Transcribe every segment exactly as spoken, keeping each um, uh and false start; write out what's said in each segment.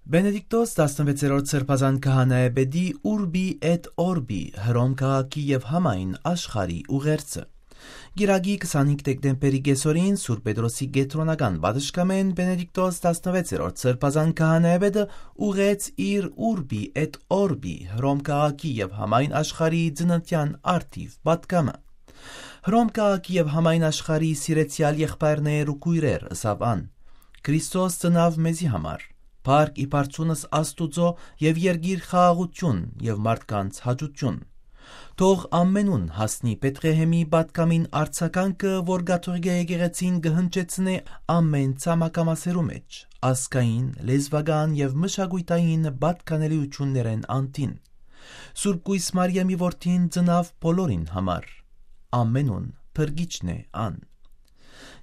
Բենեդիկտոս տասնվեցերորդ սրբազան քահանայապետի Urbi et Orbi, Հռոմ քաղաքի եւ համայն աշխարհի ուղերձը։ Կիրակի քսանհինգ դեկտեմբերի կեսօրին Սուրբ Պետրոսի կեդրոնական պատշգամէն Բենեդիկտոս տասնվեցերորդ սրբազան քահանայապետը ուղղեց իր Urbi et Orbi, Հռոմ քաղաքի եւ համայն աշխարհի ծննդեան առթիւ պատգամը։ «Հռոմ քաղաքի եւ համայն աշխարհի սիրեցեալ եղբայրներ ու քոյրեր», ըսաւ ան, «Քրիստոս ծնաւ մեզի համար, փառք ի բարձունս Աստուծոյ եւ երկիր խաղաղութիւն եւ մարդկանց հաճութիւն։ Թող ամենուն հասնի Բեթղեհէմի պատգամին արձագանքը, որ կաթողիկէ եկեղեցին կը հնչեցնէ ամէն ցամաքամասերու մէջ, ազգային, լեզուական եւ մշակոյթային պատկանելիութիւններէն անդին։ Սուրբ Կոյս Մարիամի որդին ծնաւ բոլորին համար, ամենուն փրկիչն է ան»։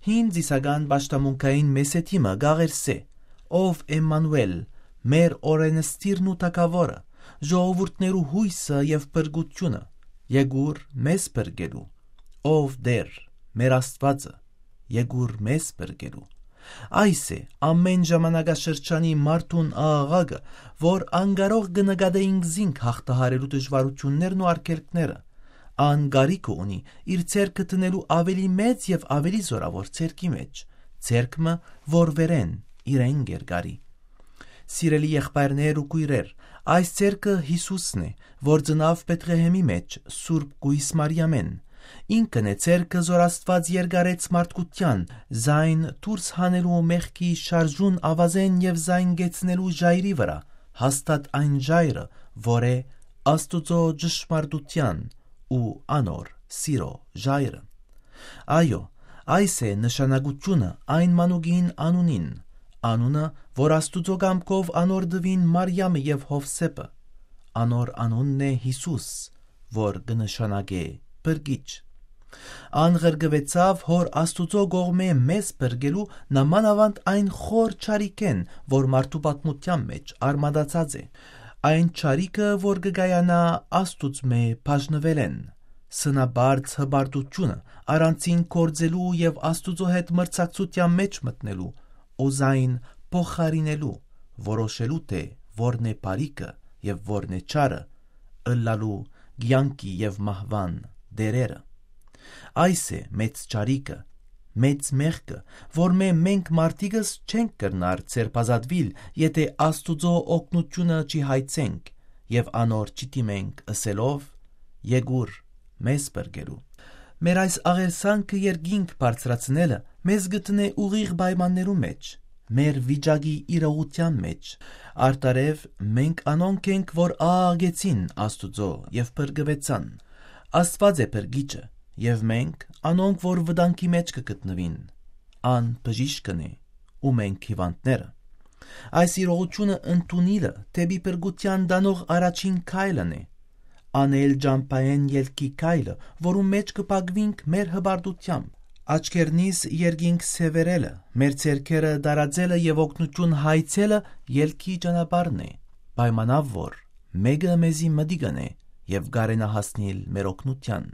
Հին Զիսական պաշտամունքային մեսեդիմը կ'աղերսէ. «Ով Էմմանուէլ, մեր օրէնսդիրն ու թագաւորը, ժողովուրդներու յոյսը եւ փրկութիւնը, եկուր մեզ փրկելու։ Ով Տէր, մեր Աստուածը, եկուր մեզ փրկելու»։ Այս է ամէն ժամանակաշրջանի մարդուն աղաղակը, որ անկարող կը նկատէինք զինք յաղթահարելու դժուարութիւններն ու արգելքները։ Ան կարիքը ունի իր ձեռքը դնելու աւելի մեծ եւ աւելի զօրաւոր ձեռքի մէջ, ձեռք մը, որ վերէն իրեն կ'երկարի։ Սիրելի եղբայրներ ու քոյրեր, այս ձեռքը Յիսուսն է, որ ծնաւ Բեթղեհէմի մէջ Սուրբ Կոյս Մարիամէն։ Ինքն է ձեռքը, զոր Աստուած երկարեց մարդկութեան, զայն դուրս հանելու մեղքի շարժուն աւազէն եւ զայն կեցնելու ժայռի վրայ, հաստատ այն ժայռը, որ է Աստուծոյ ճշմարտութեան ու անոր սիրոյ ժայռը։ Այո, այս է նշանակութիւնը այն մանուկին անունին, անունը, որ Աստուծոյ կամքով անոր տուին Մարիամը եւ Յովսէփը։ Անոր անունն է Յիսուս, որ կը նշանակէ փրկիչ։ Ան ղրկուեցաւ Հօր Աստուծոյ կողմէ մեզ փրկելու, նամանաւանդ այն խոր չարիքէն, որ մարդու պատմութեան մէջ արմատացած է, այն չարիքը, որ կը կայանայ Աստուծմէ բաժնուելէն, սնապարծ հպարտութիւնը առանձին գործելու եւ Աստուծոյ հետ մրցակցութեան մէջ մտնելու, ու զայն փոխարինելու, որոշելու, թէ որն է բարիքը եւ որն է չարը, ըլլալու կեանքի եւ մահուան տէրերը։ Այս է մեծ չարիքը, մեծ մեղքը, որմէ մենք մարդիկս չենք կրնար ձերբազատուիլ, եթէ Աստուծոյ օգնութիւնը չի հայցենք եւ անոր չի դիմենք ըսելով. «Եկուր մեզ փրկելու»։ Մեր այս աղերսանքը երկինք բարձրացնելը մեզ կը դնէ ուղիղ պայմաններու մէջ, մեր վիճակի իրողութեան մէջ։ Արդարեւ, մենք անոնք ենք, որ աղաղեցին Աստուծոյ եւ փրկուեցան։ Աստուած է փրկիչը, եւ մենք անոնք, որ վտանգի մէջ կը գտնուին։ Ան բժիշկն է ու մենք հիւանդները։ Այս իրողութիւնը ընդունիլը դէպի փրկութեան տանող առաջին քայլն է։ Անել ճամբայէն ելքի քայլը, որու մէջ կը փակուինք մեր հպարտութեամբ։ Աչքերնիս երկինք սեւեռելը, մեր ձեռքերը տարածելը եւ օգնութիւն հայցելը ելքի ճանապարհն է, պայմանաւ որ մէկը մեզի մտիկ ընէ եւ կարենայ հասնիլ մեր օգնութեան։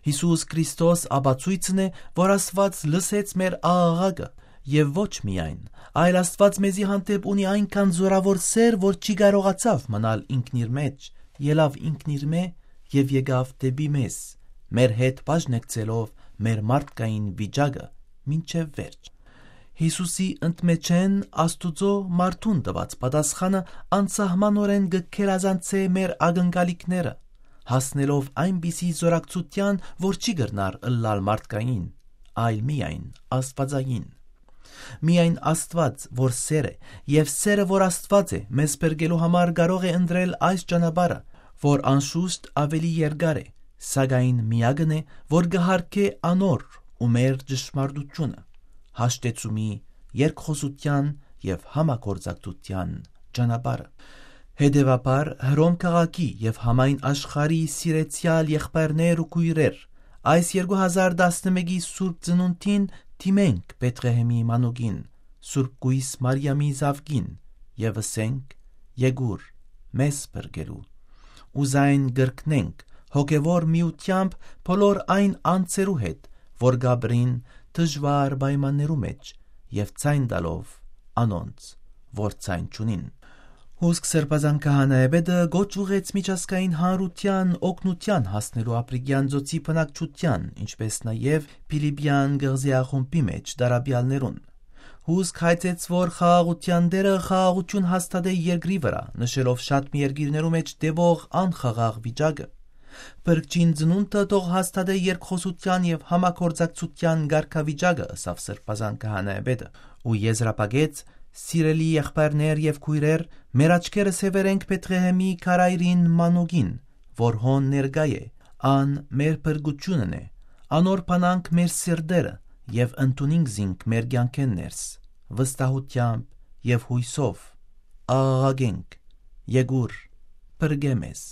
Յիսուս Քրիստոս ապացոյցն է, որ Աստուած լսեց մեր աղաղակը, եւ ոչ միայն, այլ Աստուած մեզի հանդէպ ունի այնքան զօրաւոր սէր, որ չի կարողացաւ մնալ ինքնիր մէջ, ելաւ ինքնիրմէ եւ եկաւ դէպի մեզ, մեր հետ բաժնեկցելով մեր մարդկային վիճակը մինչեւ վերջ։ Յիսուսի ընդմէջէն Աստուծոյ մարդուն տուած պատասխանը անսահմանօրէն կը գերազանցէ մեր ակնկալիքները, հասնելով այնպիսի զօրակցութեան, որ չի կրնար ըլլալ մարդկային, այլ միայն աստուածային։ Միայն Աստուած, որ սէր է, եւ սէրը, որ Աստուած է, մեզ փրկելու համար կարող է ընտրել այս ճանապարհը, որ անշուշտ աւելի երկար է, սակայն միակն է, որ կը յարգէ անոր ու մեր ճշմարտութիւնը, հաշտեցումի, երկխօսութեան եւ համագործակցութեան ճանապարհը։ Հետեւաբար, Հռոմ քաղաքի եւ համայն աշխարհի սիրեցեալ եղբայրներ ու քոյրեր, այս երկու հազար տասնմէկի Սուրբ Ծնունդին դիմենք Բեթղեհէմի մանուկին, Սուրբ Կոյս Մարիամի զաւկին, եւ ըսենք. «Եկուր մեզ փրկելու»։ Ու զայն կրկնենք հոգեւոր միութեամբ բոլոր այն անձերու հետ, որ կ'ապրին դժուար պայմաններու մէջ, եւ ձայն տալով անոնց, որ ձայն չունին։ Հուսկ Սրբազան քահանայապետը կոչ ուղղեց միջազգային հանրութեան օգնութեան հասնելու Ափրիկեան ծոցի բնակչութեան, ինչպէս նաեւ Փիլիպիան կղզեախումբի մէջ դարաբեալներուն։ Հուսկ հայցեց, որ խաղաղութեան Տէրը խաղաղութիւն հաստատէ երկրի վրայ, նշելով շատ մի երկիրներու մէջ տեւող անխաղաղ վիճակը։ Փրկչին ծնունդը թող հաստատէ երկխօսութեան եւ համագործակցութեան կարգավիճակը, ըսաւ Սրբազան քահանայապետը, ու եզրափակեց. «Սիրելի եղբայրներ եւ քոյրեր, մեր աչքերս հեւեր ենք Բեթղեհեմի քարայրին մանուկին, որ հոն ներկայ է։ Ան մեր փրկութիւնն է։ Անոր բանանք մեր սիրտերը եւ ընդունինք զինք մեր կեանքէն ներս, վստահութեամբ եւ յոյսով։ Աղաղակենք. Եկուր, փրկէ մեզ»։